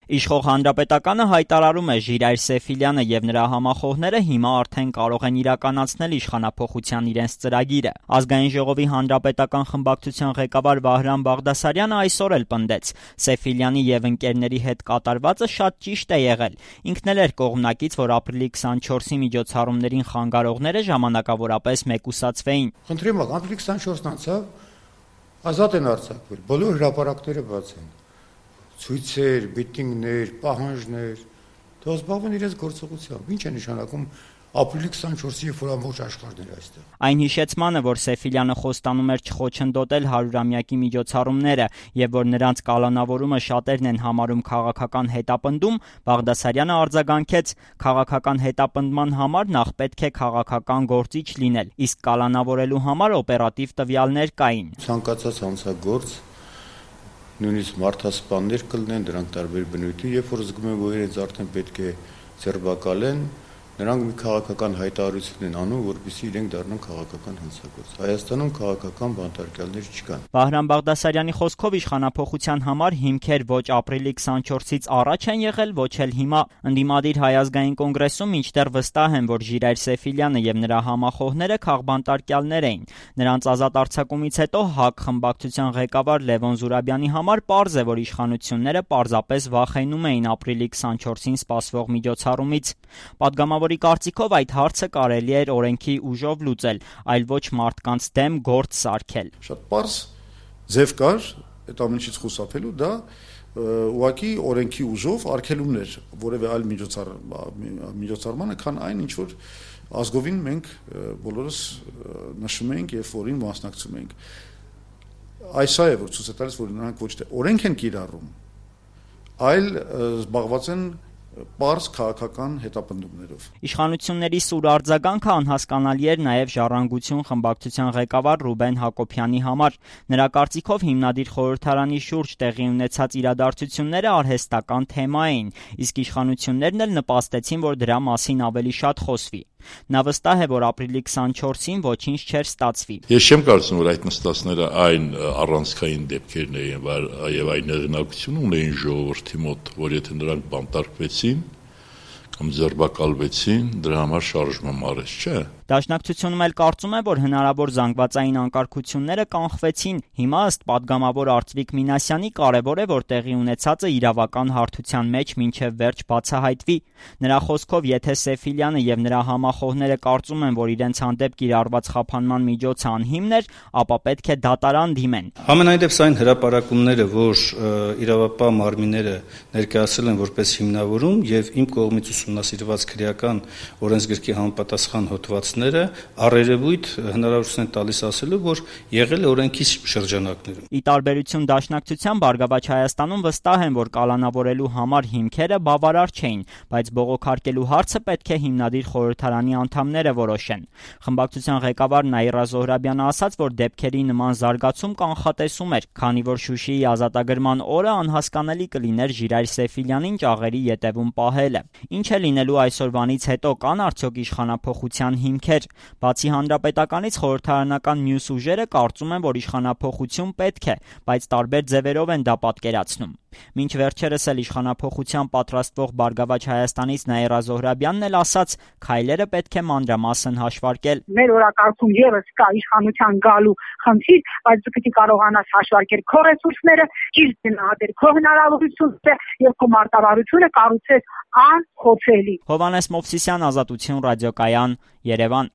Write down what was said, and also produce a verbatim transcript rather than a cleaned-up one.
Իշխող Հանրապետականը հայտարարում է, Ժիրայր Սեֆիլյանը եւ նրա համախոհները հիմա արդեն կարող են իրականացնել իշխանափոխության իրենց ծրագիրը։ Ազգային ժողովի հանրապետական խմբակցության ղեկավար Վահրամ Բաղդասարյանը այսօր էլ պնդեց. Սեֆիլյանի եւ ընկերների հետ կատարվածը շատ ճիշտ է եղել։ Ինքն էլ էր կողմնակից, որ ապրիլի քսանչորսի միջոցառումներին խանգարողները ժամանակավորապես մեկուսացվեին։ Խնդրեմ, ապրիլի քսանչորսն անցավ, ազատ են արձակվել, բոլոր հրապարակները բաց են։ Ցույցեր, միտինգներ, պահանջներ, թող զբաղվեն իրենց գործողությամբ։ Ինչ է նշանակում ապրիլի քսանչորսի երբ որ ամբողջ աշխարհն էր այստեղ։ Այն հիշեցմանը, որ Սեֆիլյանը խոստանում էր չխոչընդոտել հարյուրամյակի միջոցառումները եւ որ նրանց կալանավորումը շատերն են համարում քաղաքական հետապնդում, Բաղդասարյանը արձագանքեց. քաղաքական հետապնդման համար նախ պետք է քաղաքական գործիչ լինել, իսկ կալանավորելու համար օպերատիվ տվյալներ կային։ Ցանկացած հանցագործ նույնիսկ մարդասպաններ կլինեն, դրանք տարբեր բնույթի, երբ որ զգում են, որ իրենց արդեն պետք է ձերբակալեն, նրանք մի քաղաքական հայտարարություն են անում, որպեսզի իրենք դառնան քաղաքական հանցագործ։ Հայաստանում քաղաքական բանտարկյալներ չկան։ Վահրամ Բաղդասարյանի խոսքով իշխանափոխության համար հիմքեր ոչ ապրիլի քսանչորսից առաջ են եղել, ոչ էլ հիմա։ Ընդդիմադիր Հայ ազգային կոնգրեսում մինչդեռ վստահ են, որ Ժիրայր Սեֆիլյանը եւ նրա համախոհները քաղբանտարկյալներ էին։ Նրանց ազատ արձակումից հետո ՀԱԿ խմբակցության ղեկավար Լևոն Զուրաբյանի համար պարզ է, որ իշխանությունները պարզապես վախենում էին ապրիլի քսանչորսին սպասվող միջոցառումից։ Պատգամավորի կարծիքով այդ հարցը կարելի էր օրենքի ուժով լուծել, այլ ոչ մարդկանց դեմ գործ սարքել։ Շատ պարզ ձև կար այդ ամենից խուսափելու, դա ուղղակի օրենքի ուժով արգելումներ որևէ այլ միջոցառմանը, քան այն, ինչ որ ազգովին մենք բոլորս նշում ենք եւ որին մասնակցում ենք։ Այս է, որ ցույց է տալիս, որ նրանք ոչ թե օրենք են կիրառում, այլ զբաղված են պարզ քաղաքական հետապնդումներով։ Իշխանությունների սուր արձագանքը անհասկանալի էր նաև Ժառանգություն խմբակցության ղեկավար Ռուբեն Հակոբյանի համար։ Նրա կարծիքով հիմնադիր խորհրդարանի շուրջ տեղի ունեցած իրադարձությունները արհեստական թեմա էին, իսկ իշխանություններն էլ նպաստեցին, որ դրա մասին ավելի շատ խոսվի։ Նա վստահ է, որ ապրիլի քսանչորսին ոչինչ չէր ստացվի։ Ես չեմ կարծում, որ այդ նստածները այն առանցքային դեպքերն էին, եւ այն հեղինակություն ունեին ժողովրդի մոտ, որ եթե նրանք բանտարկվեցին կամ ձերբակալվեցին, դրա համար շարժման արեց, չէ՞։ Դաշնակցությունում էլ կարծում է, որ հնարավոր զանգվածային անկարգությունները կանխվեցին։ Հիմա ըստ պատգամավոր Արծվիկ Մինասյանի կարևոր է, որ տեղի ունեցածը իրավական հարթության մեջ մինչև վերջ բացահայտվի։ Նրա խոսքով, եթե Սեֆիլյանը եւ նրա համախոհները կարծում են, որ իրենց հանդեպ կիրառված խափանման միջոցը անհիմն էր, ապա պետք է դատարան դիմեն։ Համենայն դեպս այն հրապարակումները, որ իրավապահ մարմինները ներկայացրել են որպես հիմնավորում եւ իմ կողմից ուսումնասիրված քրեական օրենսգրքի համապատասխան հոդվածները առերևույթ հնարավորություն են տալիս ասելու, որ եղել է օրենքի շրջանակներում։ Ի տարբերություն Դաշնակցության, Բարգավաճ Հայաստանում վստահ են, որ կալանավորելու համար հիմքերը բավարար չէին, բայց բողոքարկելու հարցը պետք է հիմնադիր խորհրդարանի անդամները որոշեն։ Խմբակցության ղեկավար Նաիրա Զոհրաբյանը ասաց, որ դեպքերի նման զարգացում կանխատեսում էր, քանի որ Շուշիի ազատագրման օրը անհասկանալի կլիներ Ժիրայր Սեֆիլյանին ճաղերի ետևում պահելը։ Ինչ է լինելու այսօրվանից հետո, կան արդյոք իշխանափոխության հիմքեր։ Բացի հանրապետականից, խորհրդարանական մյուս ուժերը կարծում են, որ իշխանափոխություն պետք է, բայց տարբեր ձևերով են դա պատկերացնում։ Մինչ վերջերս էլ իշխանափոխության պատրաստվող Բարգավաճ Հայաստանից Նաիրա Զոհրաբյանն էլ ասաց, քայլերը պետք է մանրամասն հաշվարկել։ Մեր օրակարգում եւս կա իշխանության գալու խնդիր, բայց դու պետք է կարողանաս հաշվարկել քո ռեսուրսները, ճիշտ գնահատել քո հնարավորությունները եւ քո մարտավարությունը կառուցել անխոցելի։ Հովհաննես Մովսիսյան, Ազատություն ռադիոկայան, Երևան։